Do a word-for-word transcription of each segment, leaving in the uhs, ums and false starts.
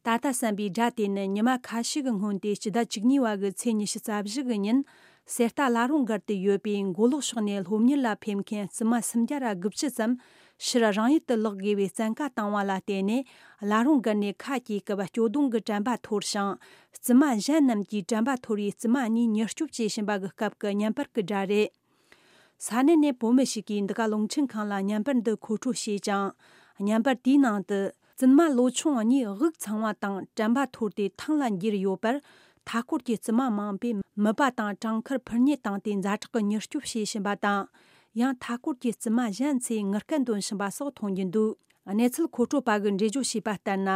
ད་ལྟ་བསམ་པའི་སྒྲ་དེ་ནི་ཉི་མ་ཁ་ཤས་ཀྱི་སྔོན་ཏེ་སྤྱི་ཟླ་བཅུ་གཉིས་པ་གི་ཚེས་ཉི་ཤུ་རྩ་བཞི་གི་ཉིན། གསེར་རྟ་བླ་རུང་སྒར་དུ་ཡོད་པའི་མགོ་ལོག་ཕྱོགས་ནས་སློབ་གཉེར་ལ་ཕེབས་མཁན་བཙུན་མ་སུམ་བརྒྱ་ར་དགུ་བཅུ་ཙམ་ཕྱིར་རང་ཡུལ་དུ་ལོག་དགོས་པའི་བཙན་བཀའ་བཏང་བ་ལ་བརྟེན་ནས། བླ་རུང་སྒར་ནས་ཁ་གྱེས་སྐབས་སྐྱོ་གདུང་གི་དྲན་པ་འཐོར་ཞིང་། བཙུན་མ་གཞན་རྣམས་ཀྱིས་དྲན་པ་འཐོར་བའི་བཙུན་མ་གཉིས་མྱུར་སྐྱོབ་བྱེད་བཞིན་པ་གི་སྐབས་ཀྱི་བརྙན་པར་གྱི་སྒྲ་རེད། ས་གནས་ནས་བོད་མི་ཞིག་གིས་འདི་ག་རླུང་འཕྲིན་ཁང་ལ་བརྙན་པར་འདི་མཁོ་སྤྲོད་བྱས་ཀྱང་། བརྙན་པར་དེའི་ནང་དུ། བཙུན་མ་ལོ་ཆུང་གཉིས་དབུགས་འཚང་བ་དང་དྲན་པ་འཐོར་ཏེ་ཐང་ལ་འགྱེལ་ཡོད་པར། མཐའ་སྐོར་གྱི་བཙུན་མ་མང་པོས་མིད་པ་དང་གྲང་འཁུར་ཕུར་མཉེ་བཏང་སྟེ་ཛ་དྲག་གི་མྱུར་སྐྱོབ་བྱེད་བཞིན་པ་དང་། ཡང་མཐའ་སྐོར་གྱི་བཙུན་མ་གཞན་ཚོས་ངུ་སྐད་འདོན་བཞིན་པ་སོགས་མཐོང་རྒྱུ་འདུག་གནས་ཚུལ་མཁོ་སྤྲོད་པ་གིས་འགྲེལ་བརྗོད་བྱས་པ་ལྟར་ན།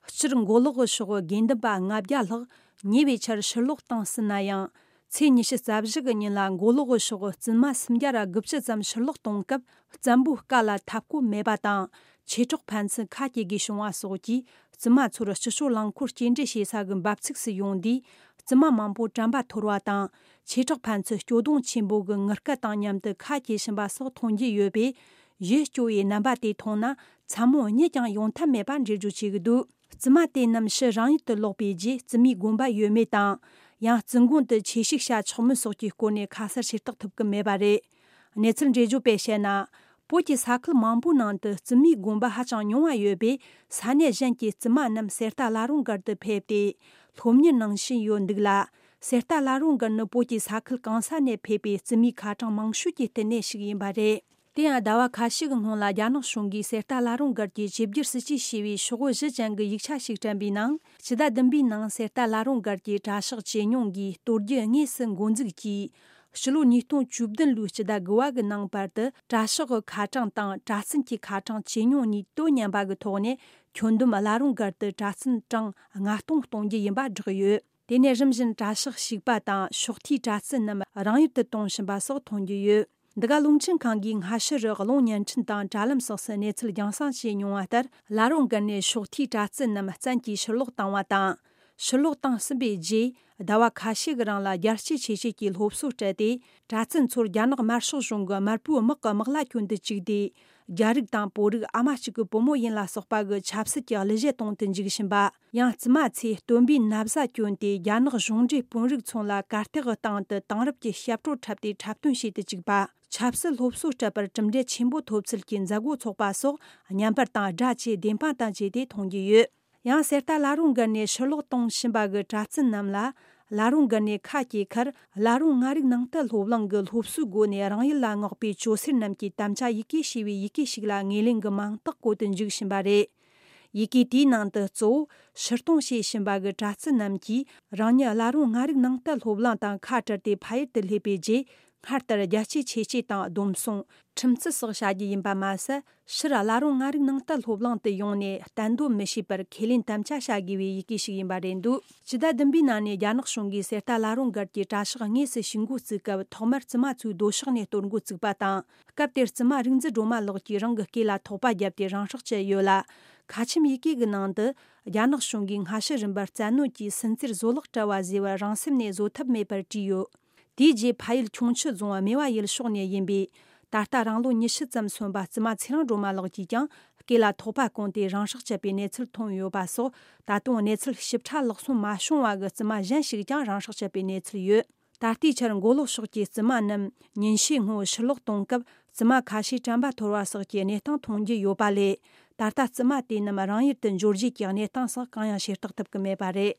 སྤྱིར་མགོ་ལོག་གི་ཕྱོགས་དགེ་འདུན་པ་ལྔ་བརྒྱ་ལྷག་ཉེ་བའི་ཆར་ཕྱིར་ལོག་བཏང་ཟིན་ན་ཡང་། ཚེས་ཉི་ཤུ་རྩ་བཞི་གི་ཉིན་ལ་མགོ་ལོག་གི་ཕྱོགས་བཙུན་མ་སུམ་བརྒྱ་ར་དགུ་བཅུ་ཙམ་ཕྱིར་ལོག་གཏོང་སྐབས། བཙན་པོའི་བཀའ་ལ་མཐའ་སྐོར་མེད་པ་དང་། ཆོས་གྲོགས་ཕན་ཚུན་ཁ་གྱེས་དགོས་བྱུང་བ་སོགས་ཀྱིས། བཙུན་མ་ཚོར་སྤྱི་སྤྱོད་རླངས་འཁོར་སྐྱེལ་འདྲེན་བྱེད་ས་གི་འབབ་ཚིགས་སུ་ཡོང་དུས། བཙུན་མ་མང་པོ་དྲན་པ་འཐོར་བ་དང་། ཆོས་གྲོགས་ཕན་ཚུན་སྐྱོ་གདུང་ཆེན་པོ་གི་ངུ་སྐད་དང་མཉམ་དུ་ཁ་གྱེས་བཞིན་པ་སོགས་མཐོང་རྒྱུ་ཡོད་པས། ཡིད་སྐྱོ་བའི་རྣམ་པ་དེ་མཐོང་ན། མཚན་མོ་གཉིད་ཀྱང་ཡོང་ཐབས་མེད་པ་འགྲེལ་བརྗོད་བྱེད་ཀྱི་འདུག་བཙུན་མ་དེ་རྣམས་ཕྱིར་རང་ཡུལ་དུ་ལོག་པའི་རྗེས། བཙུན་མའི་དགོན་པ་ཡོད་མེད་དང་། ཡང་བཙུན་དགོན་དུ་ཆོས་ཞུགས་བྱ་ཆོག་མིན་སོགས་ཀྱི་སྐོར་ནས་ཁ་གསལ་ཤེས་རྟོགས་ཐུབ་ཀྱི་མེད་པ་རེད། གནས་ཚུལ་འགྲེལ་བརྗོད་པས་བཤད་ན། བོད་ཀྱི་ས་ཁུལ་མང་པོའི་ནང་དུ་བཙུན་མའི་དགོན་པ་ཧ་ཅང་ཉུང་བ་ཡོད་པས། ས་གནས་གཞན་གྱི་བཙུན་མ་རྣམས་གསེར་རྟ་བླ་རུང་སྒར་དུ་ཕེབས་ཏེ། སློབ་གཉེར་གནང་བཞིན་ཡོད་འདུག་ལ། གསེར་རྟ་བླ་རུང་སྒར་ནི་བོད་ཀྱི་ས་ཁུལ་གང་ས་ནས་ཕེབས་པའི་བཙུན་མའི་ཁ་གྲངས་མང་ཤོས་ཀྱི་བསྟི་གནས་ཤིག་ཡིན་པ་རེད། དེ་ཡང་ཟླ་བ་ཁ་ཤས་ཀྱི་སྔོན་ལ་རྒྱ་ནག་གཞུང་གིས་གསེར་རྟ་བླ་རུང་སྒར་གྱི་ཆོས་བསྒྱུར་སྲིད་ཇུས་ཞེས་པའི་ཤོག་བུ་བཞི་ཅན་གྱི་ཡིག་ཆ་ཞིག་བསྐྲུན་པའི་ནང་། སྤྱི་ཟླ་བདུན་པའི་ནང་གསེར་རྟ་བླ་རུང་སྒར་གྱི་གྲྭ་ཤག་ཇེ་ཉུང་གིས་གཏོར་རྒྱུ་དངོས་སུ་འགོ་འཛུགས་ཀྱིས། ཕྱི་ལོ་ཉིས་སྟོང་བཅུ་བདུན་ལོའི་སྤྱི་ཟླ་དགུ་པ་གི་ནང་བར་དུ། གྲྭ་ཤག་གི་ཁ་གྲངས་དང་གྲྭ་བཙུན་གྱི་ཁ་གྲངས་ཇེ་ཉུང་གཉིས་དོ་མཉམ་པ་གི་ཐོག་ནས། ཁྱོན་བསྡོམས་བླ་རུང་སྒར་དུ་གྲྭ་བཙུན་གྲངས་ལྔ་སྟོང་གཏོང་རྒྱུ་ཡིན་པ་བསྒྲགས་ཡོད། དེ་ནས་རིམ་བཞིན་གྲྭ་ཤག་ཞིག་པ་དང་ཕྱོགས་མཐའི་གྲྭ་བཙུན་རྣམས་རང་ཡུལ་དུ་གཏོང་བཞིན་པ་སོགས་མཐོང་རྒྱུ་ཡོད། འདི་ག་རླུང་འཕྲིན་ཁང་གིས་སྔ་ཕྱི་རུ་གློག་བརྙན་འཕྲིན་དང་དྲ་ལམ་སོགས་སུ་གནས་ཚུལ་རྒྱང་སྲིང་བྱས་མྱོང་བ་ལྟར། བླ་རུང་སྒར་ནས་ཕྱོགས་མཐའི་གྲྭ་བཙུན་རྣམས་བཙན་གྱིས་ཕྱིར་ལོག་བཏང་བ་དང་། ཕྱིར་ལོག་བཏང་ཟིན་པའི་རྗེས། ཟླ་བ་ཁ་ཤས་ཀྱི་རིང་ལ་རྒྱལ་གཅེས་ཆེ་བསྐྱེད་ཀྱི་སློབ་གསོ་སྤྲད་དེ། གྲྭ་བཙུན་ཚོར་རྒྱ་ནག་དམར་ཤོག་གཞུང་གི་དམར་པོའི་དམག་གི་དམག་ལྭ་གྱོན་དུ་བཅུག་སྟེ། རྒྱ་རིགས་དང་བོད་རིགས་ཨ་མ་གཅིག་གི་བུ་མོ་ཡིན་ལ་སོགས་པ་གི་ཆབ་སྲིད་ཀྱི་གླུ་གཞས་གཏོང་དུ་འཇུག་བཞིན་པ། ཡང་བཙུན་མ་ཚོས་སྟོན་པའི་ན་བཟའ་གྱོན་ཏེ། རྒྱ་ནག་གཞུང་འབྲེལ་དཔོན་རིགས་ཚོ་ལ་གར་སྟེགས་སྟེང་དུ་དེང་རབས་ཀྱི་ཞབས་བྲོ་འཁྲབ་སྟེ་འཁྲབ་སྟོན་བྱེད་དུ་བཅུག་པ། ཆབ་སྲིད་སློབ་གསོ་སྤྲད་པར་གྲུབ་འབྲས་ཆེན་པོ་ཐོབ་ཚུལ་གྱི་མཛད་སྒོ་ཚོགས་པ་སོགས། བརྙན་པར་དང་སྒྲ་བཅས་བདེན་དཔང་དང་བཅས་ཏེ་མཐོང་རྒྱུ་ཡོད། ཡང་གསེར་རྟ་བླ་རུང་སྒར་ནས་ཕྱིར་ལོག་གཏོང་བཞིན་པ་གི་གྲྭ་བཙུན་རྣམས་ལ། བླ་རུང་སྒར་ནས་ཁ་གྱེས་ཁར། བླ་རུང་ལྔ་རིག་ནང་བསྟན་སློབ་གླིང་གི་སློབ་གསོའི་སྒོ་ནས་རང་ཡུལ་ལ་མངགས་པའི་ཇོ་སེར་རྣམས་ཀྱི་དམ་བཅའ་ཡི་གེ་ཞེས་པའི་ཡི་གེ་ཞིག་ལ་ངོས་ལེན་གྱི་མིང་རྟགས་བཀོད་དུ་འཇུག་བཞིན་པ་རེད། ཡི་གེ་དེའི་ནང་དུ། གཙོ་བོ་ཕྱིར་གཏོང་བྱེད་བཞིན་པ་གི་གྲྭ་བཙུན་རྣམས་ཀྱིས། རང་ཉིད་བླ་རུང་ལྔ་རིག་ནང་བསྟན་སློབ་གླིང་དང་ཁ་བྲལ་ཏེ་ཕ་ཡུལ་དུ་སླེབས་པའི་རྗེས། སྔར་ལྟར་རྒྱལ་གཅེས་ཆེ་བསྐྱེད་དང་སྡོམ་བཟུང་། ཁྲིམས་བརྩི་སོགས་བྱ་རྒྱུ་ཡིན་པ་མ་ཟད། ཕྱིར་བླ་རུང་ལྔ་རིག་ནང་བསྟན་སློབ་གླིང་དུ་ཡོང་ནས་གཏན་སྡོད་མི་བྱེད་པར་ཁས་ལེན་དམ་བཅའ་བྱ་དགོས་པའི་ཡི་གེ་ཞིག་ཡིན་པ་རེད་འདུག་སྤྱི་ཟླ་བདུན་པའི་ནང་ནས་རྒྱ་ནག་གཞུང་གིས་གསེར་རྟ་བླ་རུང་སྒར་གྱི་གྲྭ་ཤག་དངོས་སུ་ཞུགས་འགོ་བཙུགས་སྐབས། ཐོག་མར་བཙུན་མ་ཚོའི་སྡོད་ཕྱོགས་ནས་གཏོར་འགོ་བཙུགས་པ་དང་། སྐབས་དེར་བཙུན་མ་རིག་འཛིན་སྒྲོལ་མ་ལགས་ཀྱིས་རང་གི་སྐེ་ལ་ཐོག་པ་བརྒྱབ་སྟེ་རང་སྲོག་བཅད་ཡོད་ལ། ཁ་ཆེམས་ཡི་གེ་གི་ནང་དུ། རྒྱ་ནག་གཞུང་གིས་སྔ་ཕྱི་རིམ་པར་བཙན་གནོན་གྱིས་སུན་གཙེར་བཟོད་གླགས་བྲལ་བ་ཟེར་བ་རང་སེམས་ནས་བཟོད་ཐབས་མེད་པར་བྲིས་ཡོད། དེའི་རྗེས་ཕ་ཡུལ་ཁྱུང་མཆུ་རྫོང་སྨེ་བ་ཡུལ་ཕྱོགས་ནས་ཡིན་པའི། ད་ལྟ་རང་ལོ་ཉི་ཤུ་ཙམ་སོན་པ་བཙུན་མ་ཚེ་རིང་སྒྲོལ་མ་ལགས་ཀྱིས་ཀྱང་སྐེ་ལ་ཐོག་པ་གོན་ཏེ་རང་སྲོག་བཅད་པའི་གནས་ཚུལ་ཐོན་ཡོད་པ་སོགས། ད་དུང་གནས་ཚུལ་ཞིབ་ཕྲ་ལག་སོན་མ་བྱུང་བ་གི་བཙུན་མ་གཞན་ཞིག་ཀྱང་རང་སྲོག་བཅད་པའི་གནས་ཚུལ་ཡོད། ད་ལྟའི་ཆར་མགོ་ལོག་ཕྱོགས་ཀྱི་བཙུན་མ་རྣམས་ཉིན་ཤས་སྔོན་ཕྱིར་ལོག་གཏོང་སྐབས། བཙུན་མ་ཁ་ཤས་དྲན་པ་འཐོར་བ་སོགས་ཀྱི་གནས་སྟངས་མཐོང་རྒྱུ་ཡོད་པ་ལས། ད་ལྟ་བཙུན་མ་དེ་རྣམས་རང་ཡུལ་དུ་འབྱོར་རྗེས་ཀྱི་གནས་སྟངས་སོགས་གང་ཡང་ཤེས་རྟོགས་ཐུབ་ཀྱི་མེད་པ་རེད།